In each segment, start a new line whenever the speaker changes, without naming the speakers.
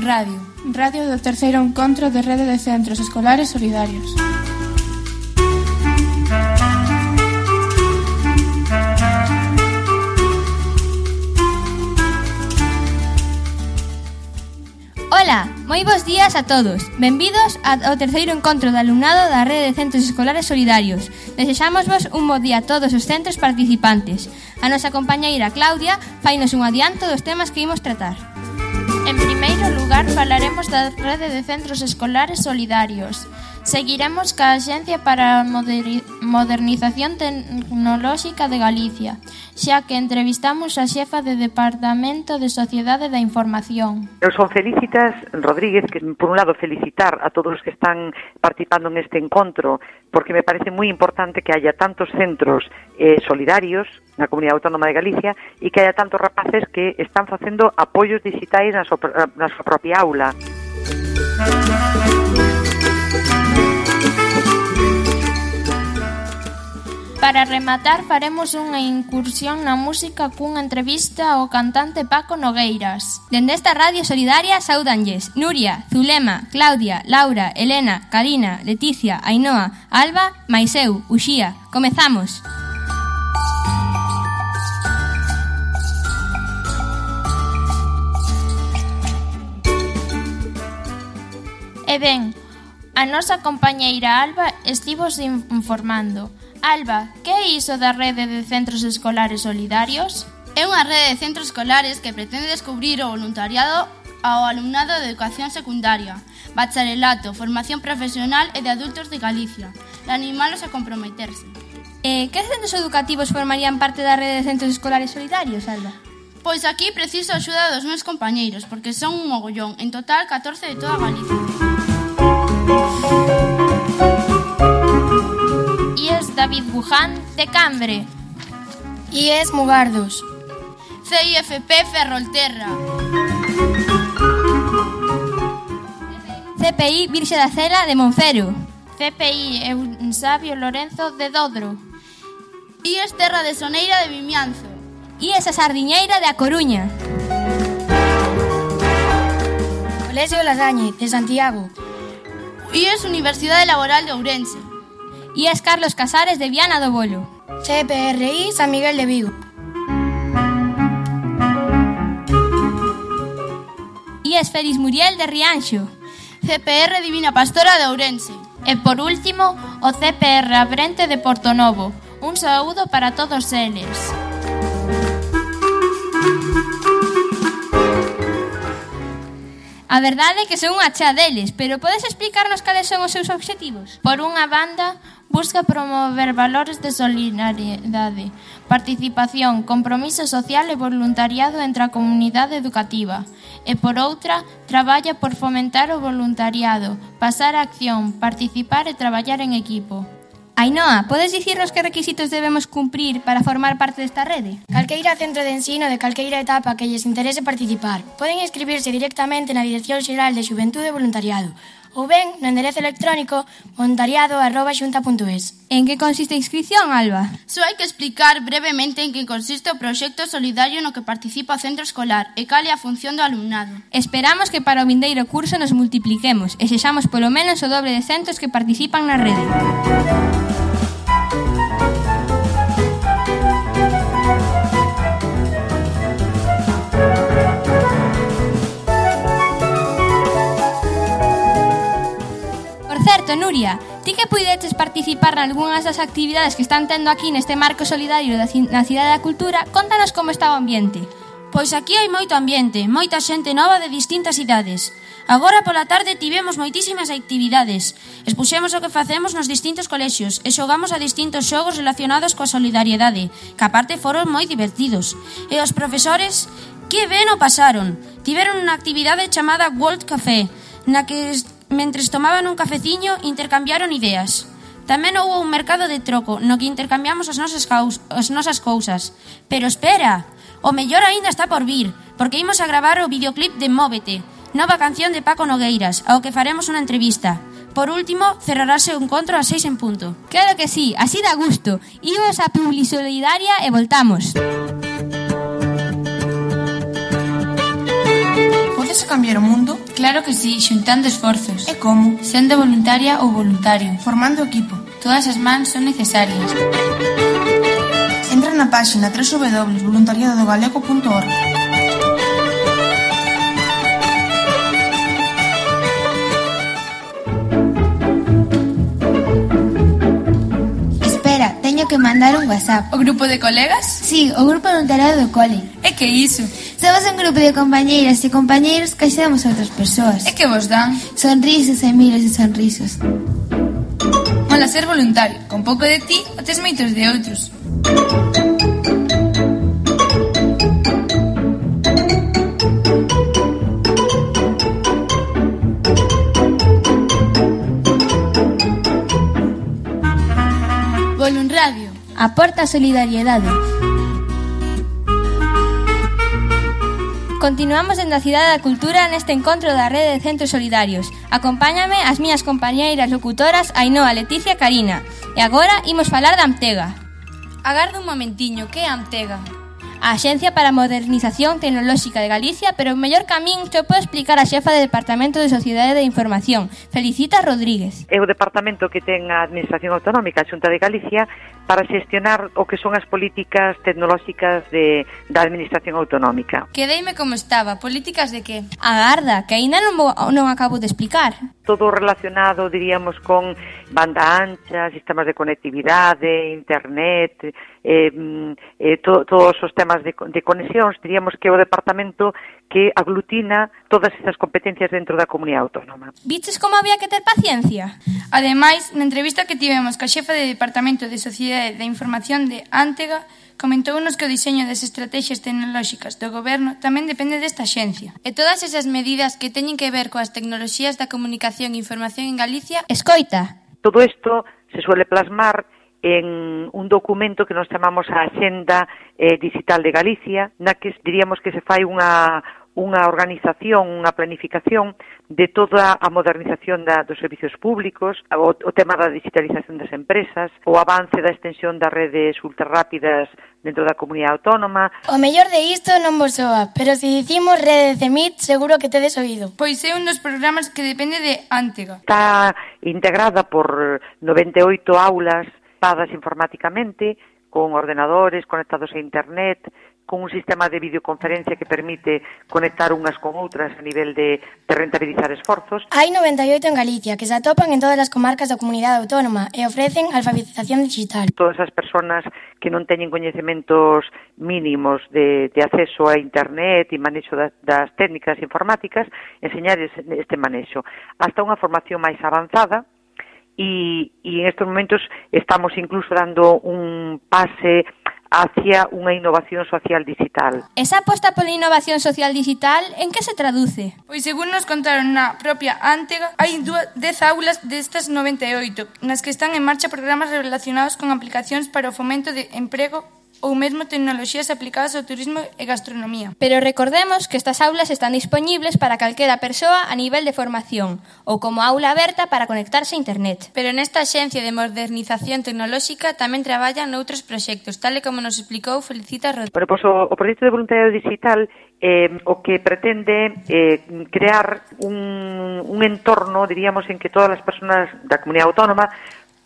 Radio. Radio do terceiro encontro de Rede de Centros Escolares Solidarios.
Ola, moi bons días a todos. Benvidos ao terceiro encontro de alumnado da Rede de Centros Escolares Solidarios. Desexámosvos un bo día a todos os centros participantes. A nosa compañeira Claudia fainos un adianto dos temas que imos tratar.
En primeiro lugar, falaremos da Rede de Centros Escolares Solidarios. Seguiremos ca Axencia para a Modernización Tecnolóxica de Galicia, xa que entrevistamos a xefa de Departamento de Sociedade da Información.
Eu son Felicitas Rodríguez, que por un lado felicitar a todos os que están participando neste encontro, porque me parece moi importante que haya tantos centros solidarios na Comunidade Autónoma de Galicia e que haya tantos rapaces que están facendo apoios digitais na súa propia aula.
Para rematar, faremos unha incursión na música cunha entrevista ao cantante Paco Nogueiras.
Dende esta radio solidaria saudanlles Nuria, Zulema, Claudia, Laura, Elena, Karina, Leticia, Ainhoa, Alba, Maiseu, Uxía. Comezamos!
E ben, a nosa compañeira Alba estivos informando. Alba, que é iso da Rede de Centros Escolares Solidarios?
É unha rede de centros escolares que pretende descubrir o voluntariado ao alumnado de educación secundaria, bacharelato, formación profesional e de adultos de Galicia, e animalos a comprometerse.
Que centros educativos formarían parte da Rede de Centros Escolares Solidarios, Alba?
Pois aquí preciso a axuda dos meus compañeiros, porque son un mogollón, en total 14 de toda Galicia.
David Buján, de Cambre.
IES Mugardos.
CIFP Ferrolterra.
CPI Virxe da Cela de Monfero.
CPI Eusabio Lorenzo de Dodro.
IES Terra de Soneira de Vimianzo.
IES A Sardiñeira de A Coruña.
Colexio Lasañe, de Santiago.
IES Universidade Laboral de Ourense.
IES Carlos Casares de Viana do Bolo.
CPRI San Miguel de Vigo.
IES Félix Muriel de Rianxo.
CPR Divina Pastora de Ourense.
E por último, o CPR Abrente de Portonovo. Un saúdo para todos eles.
A verdade é que son unha chea deles, pero podes explicarnos cales son os seus obxectivos?
Por unha banda, busca promover valores de solidariedade, participación, compromiso social e voluntariado entre a comunidade educativa. E por outra, traballa por fomentar o voluntariado, pasar a acción, participar e traballar en equipo.
Ainhoa, podes dicirnos que requisitos debemos cumprir para formar parte desta rede?
Calqueira centro de ensino de calqueira etapa que lles interese participar. Poden inscribirse directamente na Dirección Xeral de Xuventude e Voluntariado ou ben no enderezo electrónico voluntariado@xunta.es.
En que consiste a inscripción, Alba?
Só hai que explicar brevemente en que consiste o proxecto solidario no que participa o centro escolar e cal é a función do alumnado.
Esperamos que para o vindeiro curso nos multipliquemos e sexamos polo menos o doble de centros que participan na rede. Nuria, ti que puideches participar nalgúnas das actividades que están tendo aquí neste marco solidario na Cidade da Cultura, contanos como está o ambiente.
Pois aquí hai moito ambiente, moita xente nova de distintas idades. Agora pola tarde tivemos moitísimas actividades. Expuxemos o que facemos nos distintos colexios e xogamos a distintos xogos relacionados coa solidariedade, que aparte foron moi divertidos. E os profesores, que ben o pasaron. Tiveron unha actividade chamada World Café, na que mentres tomaban un cafeciño intercambiaron ideas. Tamén houve un mercado de troco no que intercambiamos as nosas cousas. Pero espera, o mellor aínda está por vir, porque imos a gravar o videoclip de Móvete, nova canción de Paco Nogueiras, ao que faremos unha entrevista. Por último, cerrarase o encontro ás 6 en punto.
Claro que sí, así dá gusto. Imos a Publisolidaria e voltamos.
Podes cambiar o mundo? Claro que sí, xuntando esforzos.
E como?
Sendo voluntaria ou voluntario.
Formando equipo.
Todas as mans son necesarias.
Entra na páxina www.voluntariadodogalego.org.
Espera, teño que mandar un WhatsApp.
O grupo de colegas?
Sí, o grupo voluntariado do cole.
E que iso?
Somos un grupo de compañeiras e compañeiros que axudamos a outras persoas.
E que vos dan?
Sonrisos e miles de sonrisos.
Mola ser voluntario. Con pouco de ti, o tes moitos de outros.
Volunradio.
Aporta solidariedade. Continuamos en da Cidade da Cultura neste encontro da Rede de Centros Solidarios. Acompáñame as miñas compañeiras locutoras Ainhoa, Leticia e Karina. E agora imos falar da Amtega.
Agarda un momentiño, que é a Amtega?
A Axencia para a Modernización Tecnolóxica de Galicia, pero o mellor camín te pode explicar a xefa de Departamento de Sociedade de Información, Felicita Rodríguez.
É o departamento que ten a Administración Autonómica, a Xunta de Galicia, para xestionar o que son as políticas tecnolóxicas da Administración Autonómica.
Quedeime como estaba, políticas de que?
Agarda, que aínda non acabo de explicar.
Todo relacionado, diríamos, con banda ancha, sistemas de conectividade, internet, todos os temas de conexións, diríamos que é o departamento que aglutina todas esas competencias dentro da comunidade autónoma.
Viches como había que ter paciencia?
Ademais, na entrevista que tivemos ca xefa de Departamento de Sociedade de Información de Antega, comentounos que o diseño das estrategias tecnolóxicas do goberno tamén depende desta axencia.
E todas esas medidas que teñen que ver coas tecnoloxías da comunicación e información en Galicia...
Escoita.
Todo isto se suele plasmar en un documento que nos chamamos a Axenda Digital de Galicia, na que diríamos que se fai unha organización, unha planificación de toda a modernización dos servicios públicos, o tema da digitalización das empresas, o avance da extensión das redes ultrarrápidas dentro da comunidade autónoma.
O mellor de isto non vos soa, pero se dicimos Rede de CEMIT, seguro que tedes oído.
Pois é un dos programas que depende de Antega.
Está integrada por 98 aulas pagas informáticamente, con ordenadores conectados a internet, con un sistema de videoconferencia que permite conectar unhas con outras a nivel de rentabilizar esforzos.
Hai 98 en Galicia, que se atopan en todas as comarcas da comunidade autónoma e ofrecen alfabetización digital.
Todas as persoas que non teñen coñecementos mínimos de acceso a internet e manexo das técnicas informáticas, enseñar este manexo. Hasta unha formación máis avanzada, e en estos momentos estamos incluso dando un pase hacia unha innovación social digital.
Esa aposta pola innovación social digital, en que se traduce?
Pois según nos contaron na propia Antega, hai 10 aulas destas 98, nas que están en marcha programas relacionados con aplicacións para o fomento de emprego ou mesmo tecnoloxías aplicadas ao turismo e gastronomía.
Pero recordemos que estas aulas están disponibles para calquera persoa a nivel de formación ou como aula aberta para conectarse a internet.
Pero nesta Axencia de Modernización Tecnolóxica tamén traballan noutros proxectos, tal e como nos explicou Felicita Rodríguez.
Bueno, pois o proxecto de voluntariado digital o que pretende crear un entorno, diríamos, en que todas as persoas da comunidade autónoma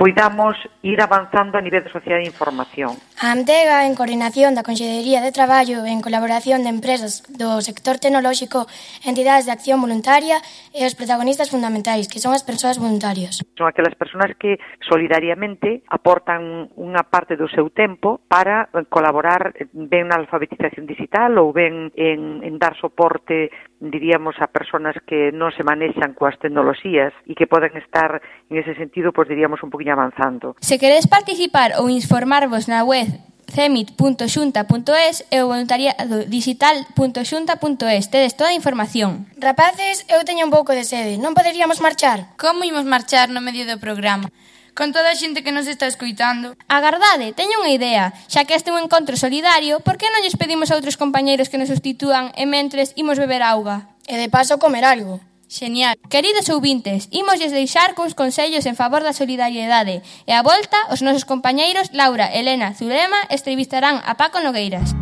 poidamos ir avanzando a nivel de sociedade de información.
A Amtega, en coordinación da Consellería de Traballo e en colaboración de empresas do sector tecnolóxico, entidades de acción voluntaria e os protagonistas fundamentais, que son as persoas voluntarias.
Son aquelas persoas que solidariamente aportan unha parte do seu tempo para colaborar ben na alfabetización digital ou ben en dar soporte, diríamos, a persoas que non se manexan coas tecnoloxías e que poden estar, en ese sentido, pues diríamos, un poquinho avanzando.
Se queredes participar ou informarvos na web cemit.xunta.es e o voluntariado digital.xunta.es, tedes toda a información.
Rapaces, eu teño un pouco de sede, non poderíamos marchar?
Como imos marchar no medio do programa?
Con toda a xente que nos está escoitando.
Agardade, teño unha idea. Xa que este é un encontro solidario, por que non lles pedimos a outros compañeiros que nos substitúan e mentres imos beber auga?
E de paso comer algo.
Genial. Queridos ouvintes, imosles deixar cuns consellos en favor da solidariedade e a volta os nosos compañeiros Laura, Elena, Zulema entrevistarán a Paco Nogueiras.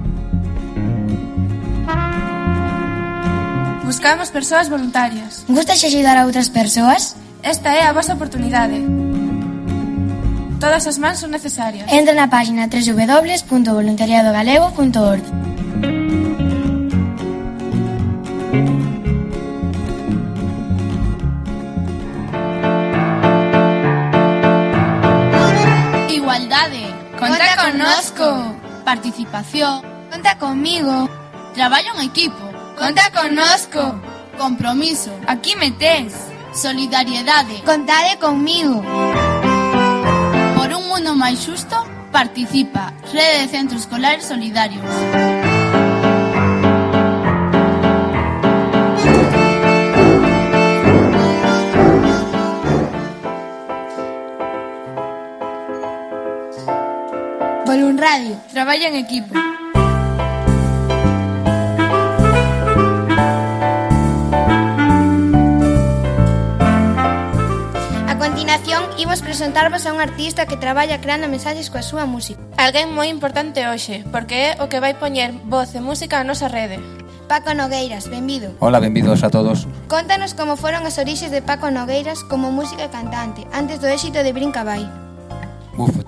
Vos
Buscamos persoas voluntarias.
Gustas axudar a outras persoas?
Esta é a vosa oportunidade. Todas as mans son necesarias.
Entra na página www.voluntariadogalego.org.
Igualdade.
Conta connosco.
Participación.
Conta conmigo.
Traballo en equipo.
Conta connosco.
Compromiso.
Aquí me tes.
Solidariedade.
Contade conmigo.
Por un mundo máis xusto, participa. Rede de Centros Escolares Solidarios.
Volunradio.
Traballa en equipo.
A continuación, imos presentarvos a un artista que traballa creando mensaxes coa súa música.
Alguén moi importante hoxe, porque é o que vai poñer voz e música á nosa rede.
Paco Nogueiras, benvido.
Hola, benvidos a todos.
Contanos como foron as orixes de Paco Nogueiras como música e cantante, antes do éxito de Brinca Vai.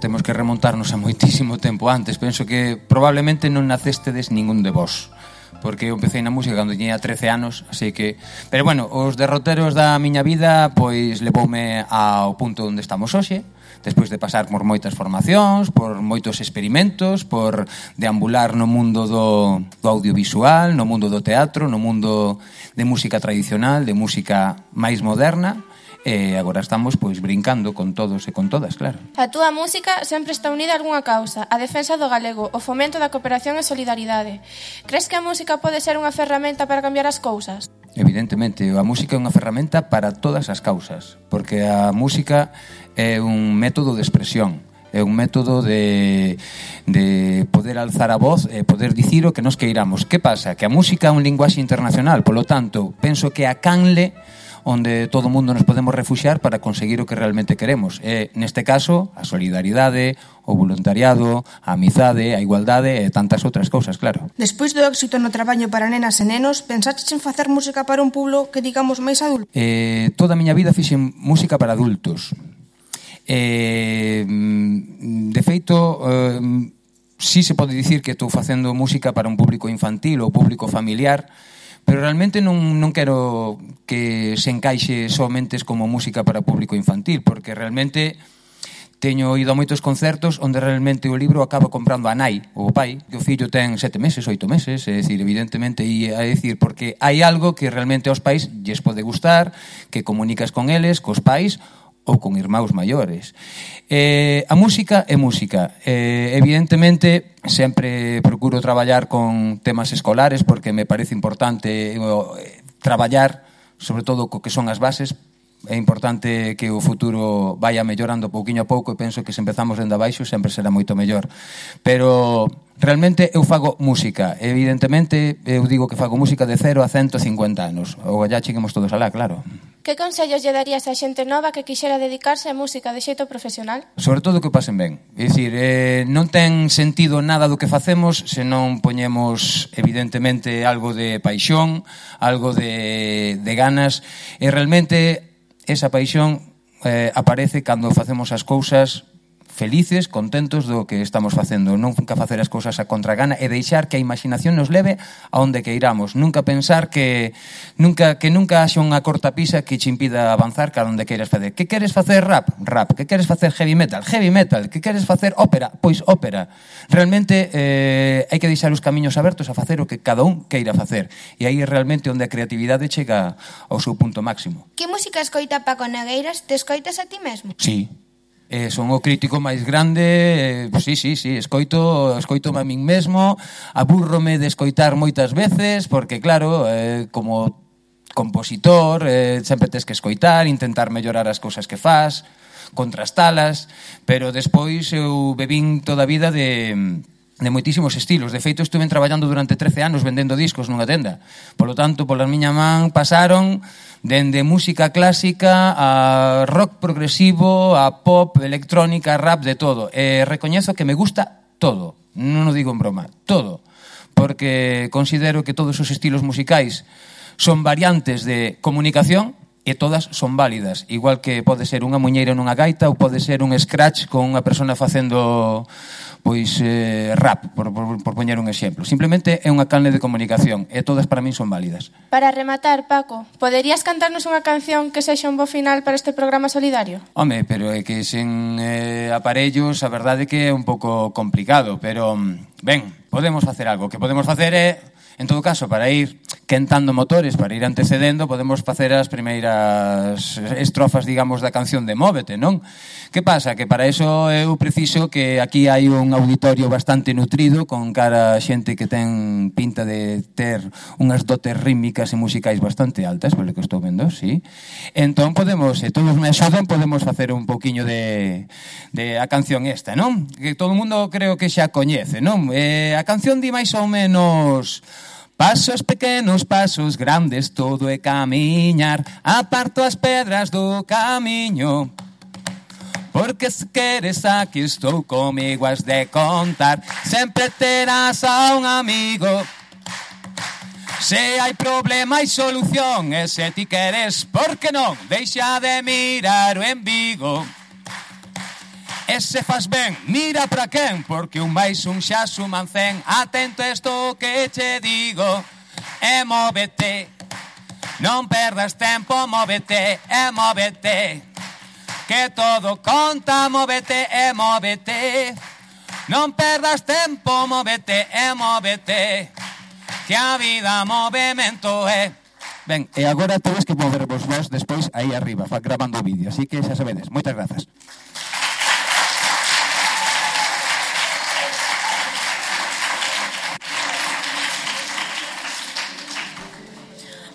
Temos que remontarnos a moitísimo tempo antes. Penso que probablemente non nacestedes ningún de vos, porque eu empecé na música cando tiña 13 anos, así que... Pero bueno, os derroteros da miña vida pois levoume ao punto onde estamos hoxe, despois de pasar por moitas formacións, por moitos experimentos, por deambular no mundo do audiovisual, no mundo do teatro, no mundo de música tradicional, de música máis moderna, e agora estamos pois brincando con todos e con todas, claro.
A túa música sempre está unida a algunha causa, a defensa do galego, o fomento da cooperación e solidaridade. Crees que a música pode ser unha ferramenta para cambiar as cousas?
Evidentemente, a música é unha ferramenta para todas as causas, porque a música é un método de expresión, é un método de poder alzar a voz e poder dicir o que nos queiramos. Que pasa? Que a música é un linguaxe internacional, polo tanto, penso que a canle onde todo o mundo nos podemos refuxiar para conseguir o que realmente queremos. E, neste caso, a solidaridade, o voluntariado, a amizade, a igualdade e tantas outras cousas, claro.
Despois do éxito no traballo para nenas e nenos, pensaches en facer música para un pueblo que digamos máis adulto?
Toda a miña vida fixen música para adultos. De feito, sí se pode dicir que estou facendo música para un público infantil ou público familiar, pero realmente non quero que se encaixe somente como música para público infantil, porque realmente teño ido a moitos concertos onde realmente o libro acaba comprando a nai ou o pai, que o fillo ten 7 meses, 8 meses, é dicir, evidentemente, e é dicir, porque hai algo que realmente aos pais lles pode gustar, que comunicas con eles, cos pais, ou con irmãos maiores. A música é música. Evidentemente, sempre procuro traballar con temas escolares porque me parece importante traballar, sobre todo co que son as bases. É importante que o futuro vaya mellorando pouquiño a pouco e penso que se empezamos dende abaixo sempre será moito mellor. Pero realmente eu fago música. Evidentemente, eu digo que fago música de 0 a 150 anos. Ou allá cheguemos todos alá, claro.
Que consellos lle darías a xente nova que quixera dedicarse á música de xeito profesional?
Sobre todo que pasen ben. É dicir, non ten sentido nada do que facemos se non poñemos, evidentemente, algo de paixón, algo de ganas, e realmente esa paixón aparece cando facemos as cousas felices, contentos do que estamos facendo. Nunca facer as cousas a contragana e deixar que a imaginación nos leve a onde queiramos. Nunca pensar que nunca haxa unha cortapisa que te impida avanzar cara onde queiras facer. Que queres facer rap? Rap. Que queres facer heavy metal? Heavy metal. Que queres facer ópera? Pois ópera. Realmente hai que deixar os camiños abertos a facer o que cada un queira facer. E aí é realmente onde a creatividade chega ao seu punto máximo.
Que música escoita Paco Nogueiras? Te escoitas a ti mesmo?
Sí. Son o crítico máis grande, sí, escoito a min mesmo, abúrrome de escoitar moitas veces, porque claro, como compositor, sempre tes que escoitar, intentar mellorar as cousas que fas, contrastalas, pero despois eu bebín toda a vida de moitísimos estilos. De feito, estuve traballando durante 13 anos vendendo discos nunha tenda. Polo tanto, pola miña man pasaron dende música clásica a rock progresivo, a pop, electrónica, rap, de todo. Recoñezo que me gusta todo. Non o digo en broma, todo. porque considero que todos os estilos musicais son variantes de comunicación e todas son válidas, igual que pode ser unha muñeira nunha gaita ou pode ser un scratch con unha persona facendo rap, por poñer un exemplo. Simplemente é unha canle de comunicación e todas para min son válidas.
Para rematar, Paco, poderías cantarnos unha canción que sexa un bo final para este programa solidario?
Home, pero é que sen aparellos a verdade que é un pouco complicado, pero ben, podemos facer algo. O que podemos facer é, en todo caso, para ir quentando motores, para ir antecedendo, podemos facer as primeiras estrofas, digamos, da canción de Móvete, non? Que pasa? Que para iso eu preciso que aquí hai un auditorio bastante nutrido, con cara xente que ten pinta de ter unhas dotes rítmicas e musicais bastante altas, polo que estou vendo, sí. Entón podemos, se todos me axudan, podemos facer un pouquiño de a canción esta, non? Que todo o mundo creo que xa coñece, non? A canción di máis ou menos... Pasos pequenos, pasos grandes, todo é camiñar, aparto as pedras do camiño. Porque se queres aquí estou comigo, has de contar, sempre terás a un amigo. Se hai problema hai solución, e se ti queres, por que non, deixa de mirar o embigo. E se faz ben, mira para quen, porque un máis un xa suman 100. Atento a isto que che digo, e móvete, non perdas tempo, móvete, e móvete, que todo conta, móvete, e móvete, non perdas tempo, móvete, e móvete, que a vida movemento é. Ben, e agora tedes que movervos vos despois aí arriba, grabando o vídeo, así que xa sabedes. Moitas grazas.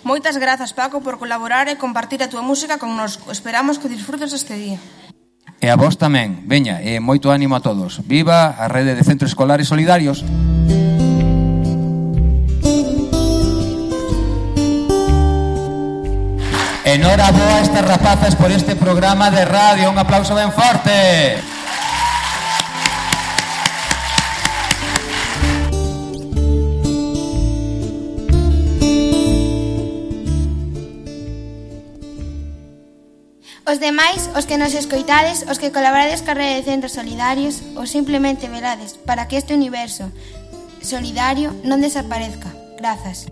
Moitas grazas, Paco, por colaborar e compartir a túa música connosco. Esperamos que disfrutes este día.
E a vos tamén. Veña, e moito ánimo a todos. Viva a Rede de Centros Escolares Solidarios. Enhoraboa a estas rapazas por este programa de radio. Un aplauso ben forte.
Os demais, os que nos escoitades, os que colaborades ca Rede de Centros Solidarios, ou simplemente velades para que este universo solidario non desaparezca. Grazas.